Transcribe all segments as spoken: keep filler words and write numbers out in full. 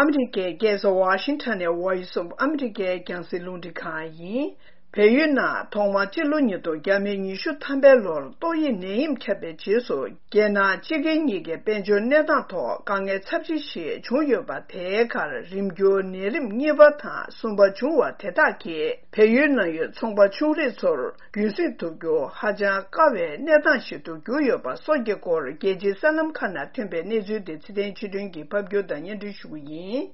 ཨ་མི་རི་ཀའི་རྒྱལ་ས་ཝ་ཤིང་ཊོན་ནས་ཝོ་ཡི་སི་ཨོཕ་ཨ་མི་རི་ཀའི་རྒྱང་སྲིང་རླུང་འཕྲིན་ཁང་ཡིན། བལ་ཡུལ་ནང་ཐོག་མར་སྤྱི་ལོ་ཉིས་སྟོང་བརྒྱ་མེད་ཉི་ཤུ་ཐམ་པའི་ལོར་ཏོག་དབྱིབས་ནད་ཡམས་ཁྱབ་པའི་རྗེས་སུ། རྒྱལ་ནང་སྤྱི་སྒེར་གཉིས་ཀའི་དཔལ་འབྱོར་གནས་སྟངས་ཐོག་དཀའ་ངལ་ཚབས་ཆེ་ཞིག་བྱུང་ཡོད་པ། དེའི་ཁར་རིམ་འགྱུར་ནད་རིམས་གཉིས་པ་དང་གསུམ་པ་བྱུང་བ་དེ་དག་གིས་བལ་ཡུལ་ནང་ཡོད་ཚོང་པ་ཆུང་རིགས་ཚོར་རྒྱུན་སྲིང་ཐུབ་རྒྱུ་ཧ་ཅང་དཀའ་བའི་གནས་སྟངས་ཤིག་ཏུ་གྱུར་ཡོད་པ་སོགས་ཀྱི་སྐོར། རྒྱལ་སྤྱིའི་གསར་ལམ་ཁག་ནང་ཐོན་པའི་གནས་ཚུལ་དེ་ཚེ་བརྟན་ཆོས་སྒྲོན་གྱིས་ཕབ་སྒྱུར་དང་སྙན་སྒྲོན་ཞུ་གི་ཡིན།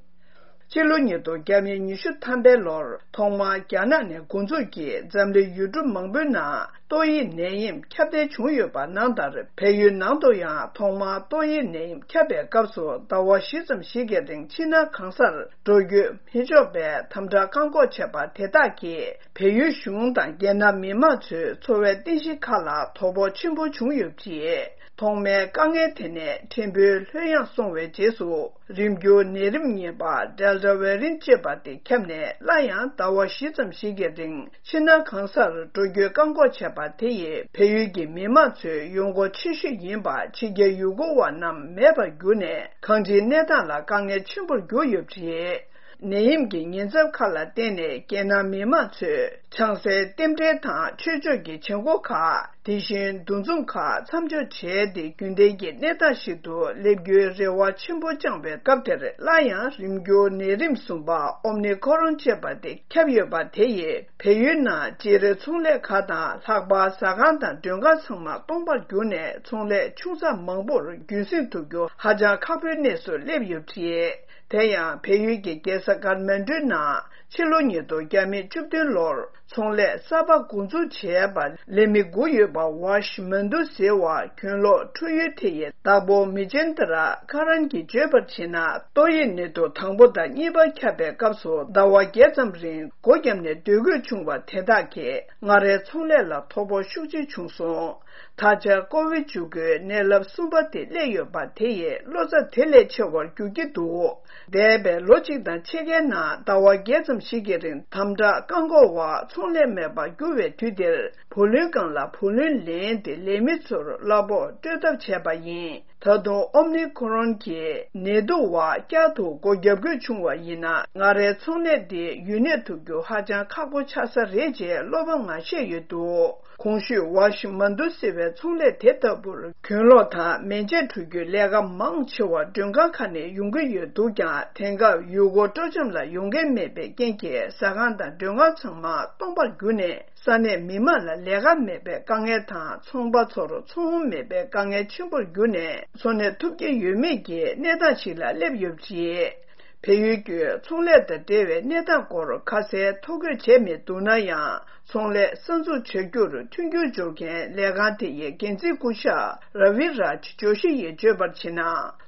སྤྱི་ལོ་ཉིས་སྟོང་བརྒྱ་མེད་ཉི་ཤུ་ཐམ་པའི་ལོར་ཐོག་མར་རྒྱ་ནག་ནས་འགོ་འཛུགས་ཀྱིས་འཛམ་གླིང་ཡུལ་གྲུ་མང་པོའི་ནང་ཏོག་དབྱིབས་ནད་ཡམས་ཁྱབ་གདལ་བྱུང་ཡོད་པ་ནང་ལྟར། བལ་ཡུལ་ནང་དུ་ཡང་ཐོག་མར་ཏོག་དབྱིབས་ནད་ཡམས་ཁྱབ་པའི་སྐབས་སུ་ཟླ་བ་བཞི་ཙམ་ཞིག་གི་རིང་ཕྱི་ནང་གང་སར་འགྲོ་སྐྱོད་མི་ཆོག་པའི་དམ་དྲག་བཀག་འགོག་བྱས་པ་དེ་དག་གིས། བལ་ཡུལ་གཞུང་དང་རྒྱལ་ནང་མི་མང་ཚོའི་འཚོ་བའི་རྟེན་གཞི་ཁག་ལ་དོ་ཕོག་ཆེན་པོ་བྱུང་ཡོད་པ་རེད། ཐོག་མའི་དཀའ་ངལ་དེ་ནས་ཕྲན་བུ་ལྷོད་ཡངས་སོང་བའི་རྗེས་སུ། རིམ་འགྱུར་ནད་རིམས་གཉིས་པ་ཌེལ་ཊ་ཝེ་རི་ཡན་ཊི་ཅེས་པ་དེ་ཁྱབ་ནས། སླར་ཡང་ཟླ་བ་བཞི་ཙམ་ཞིག་གི་རིང་ཕྱི་ནང་གང་སར་འགྲོ་སྐྱོད་བཀག་འགོག་བྱས་པ་དེ་ཡིས་བལ་ཡུལ་གྱི་མི་མང་ཚོའི་ཡོང་སྒོ་ཆེ་ཤོས་ཡིན་པ་ཕྱི་རྒྱལ་ཡུལ་སྐོར་བ་རྣམས་མེད་པར་གྱུར་ནས། གང་ཅིའི་གནས་སྟངས་ལ་དཀའ་ངལ་ཆེན་པོར་གྱུར་ཡོད་པ་རེད། ནད་ཡམས་ཀྱི་ཉེན་ཚབས་ཁག་ལ་བརྟེན་ནས། རྒྱལ་ནང་མི་མང་ཚོས་ཆང་སའི་རྟེན་འབྲེལ་དང་ཆོས་ཕྱོགས་ཀྱི་བྱེད་སྒོ་ཁག་དེ་བཞིན་འདུ་འཛོམས་ཁག་མཚམས་འཇོག་བྱས་ཏེ། རྒྱུན་ལྡན་གྱི་གནས་སྟངས་ཤིག་ཏུ་སླེབས་རྒྱུའི་རེ་བ་ཆེན་པོ་བཅངས་པའི་སྐབས་དེར། སླར་ཡང་རིམ་འགྱུར་ནད་རིམས་གསུམ་པ་ཨོ་མི་ཀོ་རོན་ཅེས་པ་དེ་ཁྱབ་ཡོད་པ་དེ་ཡིས་བལ་ཡུལ་ནང་སྤྱིར་ཚོང་ལས་ཁག་དང་། ལྷག་པར་ཟ་ཁང་དང་མགྲོན་ཁང་ཚང་མ་སྟོང་པར་གྱུར་ནས། ཚོང་ལས་ཆུང་ཙག་མང་པོར་རྒྱུན་སྲིང་ཐུབ་རྒྱུ་ཧ་ཅང་ཁག་པོའི་གནས་སུ་སླེབས་ཡོད་པ་རེད། དེ་ཡང་བལ་ཡུལ་གྱི་རྒྱལ་ས་ཀཱ་ཐ་མན་གྲུའི་ནང་ཕྱི་ལོ་ཉིས་སྟོང་བརྒྱ་མེད་བཅུ་བདུན་ལོར་ཚོང་ལས་གསར་པ་འགོ་འཛུགས་བྱས་པ་ལས་མི་དགུ་ཡོད་པ་ཝཱ་ཤི་མན་དུ་ཟེར་བ་གྱོན་ལོག་འཁྲུག་ཡུལ་དེ་ཡི་བདག་པོ་མི་ཅན་ཏ་ར་ཁ་རན་གྱིས་བརྗོད་པར་བྱས་ན། ཏོག་དབྱིབས་ནད་དུག་དང་པོ་དང་གཉིས་པ་ཁྱབ་པའི་སྐབས་སུ་ཟླ་བ་བརྒྱད་ཙམ་རིང་སྒོ་བརྒྱབ་ནས་སྡོད་དགོས་བྱུང་བ་དེ་དག་གིས་ང་རའི་ཚོང་ལས་ལ་དོ་ཕོག་ཤུགས་ཆེ་བྱུང་སོང་། ད་ཆ་ཀོ་བིཌ་བཅུ་དགུའི་ནད་རླབས་གསུམ་པ་དེ་སླེབས་ཡོད་པ་དེ་ཡིས་ལོ་ཙཱ་དེ་ལས་ཆེ་བར་འགྱུར་གྱི་འདུག་འདས་པའི་ལོ་གཅིག་དང་ཕྱེད་ཀའི་ནང་ཟླ་བ་བརྒྱད་ཙམ་ཞིག་གི་རིང་དམ་དྲག་བཀག་འགོག་འོག་ཚོང་ལས་མེད་པར་གྱུར་བའི་དུས་དེར། བུ་ལོན་སྒང་ལ་བུ་ལོན་ལེན་ཏེ་ལས་མི་ཚོར་གླ་ཕོགས་སྤྲོད་ཐབས་བྱས་པ་ཡིན། ད་དུང་ཨོ་མི་ཀོ་རོན་གྱི་ནད་དུག་འོག་བསྐྱར་དུ་སྒོ་བརྒྱབ་དགོས་བྱུང་བ་ཡིན་ན། ང་རའི་ཚོང་ལས་འདི་ཡུན་གནས་ཐུབ་རྒྱུ་ཧ་ཅང་ཁག་པོ་ཆགས་ས་རེད་ཅེས་བློ་ཕམ་ངང་བཤད་ཡོད་འདུག་གོང་ཞུས་ཝཱ་ཤི་མན་དུ་ཟེར་བའི་ཚོང་ལས་དེ་ལྟ་བུར་གྱོན་ལོག་དང་མེ་མཆོད་འཁྲུག་རྒྱུའི་ལས་ཀ་མང་ཆེ་བ་མགྲོན་ཁང་ཁག་ནས་ཡོང་གི་ཡོད་འདུག་ཀྱང་། དེང་སྐབས་ཡུལ་སྐོར་སྤྲོ་འཆམ་ལ་ཡོང་མཁན་མེད་པའི་རྐྱེན་གྱིས། ཟ་ཁང་དང་མགྲོན་ཁང་ཚང་མ་སྟོང་པར་གྱུར་ནས། ས་གནས་མི་མང་ལ་ལས་ཀ་མེད་པའི་དཀའ་ངལ་དང་། ཚོང་པ་ཚོར་ཚོང་དབང་མེད་པའི་དཀའ་ངལ་ཆེན་པོར་གྱུར་ནས། འཚོ་གནས་ཐུབ་ཀྱི་ཡོད་མེད་ཀྱི་གནས་སྟངས་ཤིག་ལ་སླེབས་ཡོད་པ་རེད། བལ་ཡུལ་གྱི་ཚོང་ལས་དང་འབྲེལ་བའི་གནས་སྟངས་སྐོར་ཁ་གསལ་ཐོ་འགོད་བྱས་མེད་འདུག་ན་ཡང་། ཚོང་ལས་གསར་འཛུགས་བྱ་རྒྱུར་མཐུན་འགྱུར་སྦྱོར་མཁན་ལས་ཁང་དེ་ཡི་འགན་འཛིན་སྐུ་ཞབས་ར་བི་རཱཇ་ཇོ་ཤི་ཡིས་བརྗོད་པར་བྱས་ན།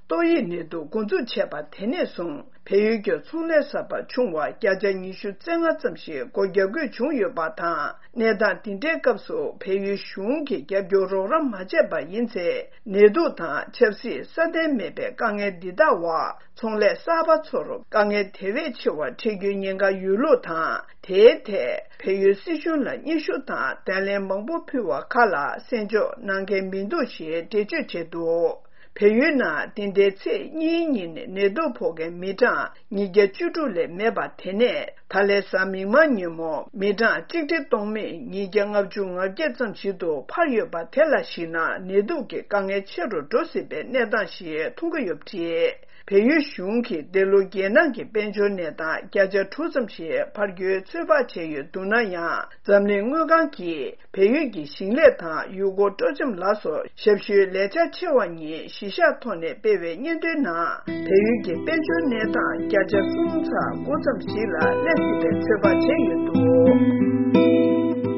ཏོག་དབྱིབས་ནད་དུག་འགོ་འཛུགས་བྱས་པ་དེ་ནས་བཟུང་། བལ་ཡུལ་གྱི་ཚོང་ལས་གསར་པ་བྱུང་བ་བརྒྱ་ཆ་ཉི་ཤུ་རྩ་ལྔ་ཙམ་ཞིག་སྒོ་བརྒྱབ་དགོས་བྱུང་ཡོད་པ་དང་། གནས་སྟངས་འདི་འདྲའི་སྐབས་སུ་བལ་ཡུལ་གཞུང་གིས་རྒྱབ་སྐྱོར་རོགས་རམ་མ་བྱས་པ་ཡིན་ཚེ། ནད་དུག་དང་ཆབ་སྲིད་སྲ་བརྟན་མེད་པའི་དཀའ་ངལ་འདི་དག་འོག་ཚོང་ལས་གསར་པ་ཚོར་དཀའ་ངལ་དེ་བས་ཆེ་བ་འཕྲད་རྒྱུའི་ཉེན་ཁ་ཡོད་ལུགས་དང་། དེའི་ཐད་བལ་ཡུལ་སྲིད་གཞུང་ལ་སྙན་ཞུ་དང་བརྡ་ལན་མང་པོ་ཕུལ་བ་ཁག་ལ་གསན་འཇོག་གནང་མཁན་མི་འདུག་ཞེས་འགྲེལ་བརྗོད་བྱས་འདུག་བལ་ཡུལ་ནང་འདི་ཟླའི་ཚེས་གཉིས་ཉིན་ནད་དུག་ཕོག་མཁན་མི་གྲངས་ཉིས་བརྒྱ་བཅུ་དྲུག་ལས་མེད་པ་དེ་ནས། ད་ལན་གཟའ་མིག་དམར་ཉིན་མོ་མི་གྲངས་ཆིག་ཁྲི་སྟོང་མེད་ཉིས་བརྒྱ་ལྔ་བཅུ་ང་བརྒྱད་ཙམ་ཞིག་ཏུ་འཕར་ཡོད་པ་དེ་ལ་གཞིགས་ན། ནད་དུག་གི་དཀའ་ངལ་ཆེ་རུ་འགྲོ་སྲིད་པའི་གནས་སྟངས་ཤིག་མཐོང་གི་ཡོད་པ་རེད། བལ་ཡུལ་གཞུང་གིས་འདི་ལོ་རྒྱལ་ནང་གི་དཔལ་འབྱོར་གནས་སྟངས་བརྒྱ་ཆ་དྲུག་ཙམ་ཞིག་འཕར་རྒྱུའི་ཚོད་དཔག་བྱས་ཡོད་འདུག་ན་ཡང་། འཛམ་གླིང་དངུལ་ཁང་གིས་བལ་ཡུལ་གྱི་ཞིང་ལས་དང་ཡུལ་སྐོར་སྤྲོ་འཆམ་ལ་སོགས་ཞབས་ཞུའི་ལས་འཆར་ཆེ་བ་གཉིས་གཞི་བཞག་ཐོག་ནས་སྤེལ་བའི་སྙན་ཐོའི་ནང་། བལ་ཡུལ་གྱི་དཔལ་འབྱོར་གནས་སྟངས་བརྒྱ་ཆ་གསུམ་ཚེག་དགུ་ཙམ་ཞིག་ལ་སླེབས་སྲིད་པའི་ཚོད་དཔག་བྱས་ཡོད་འདུག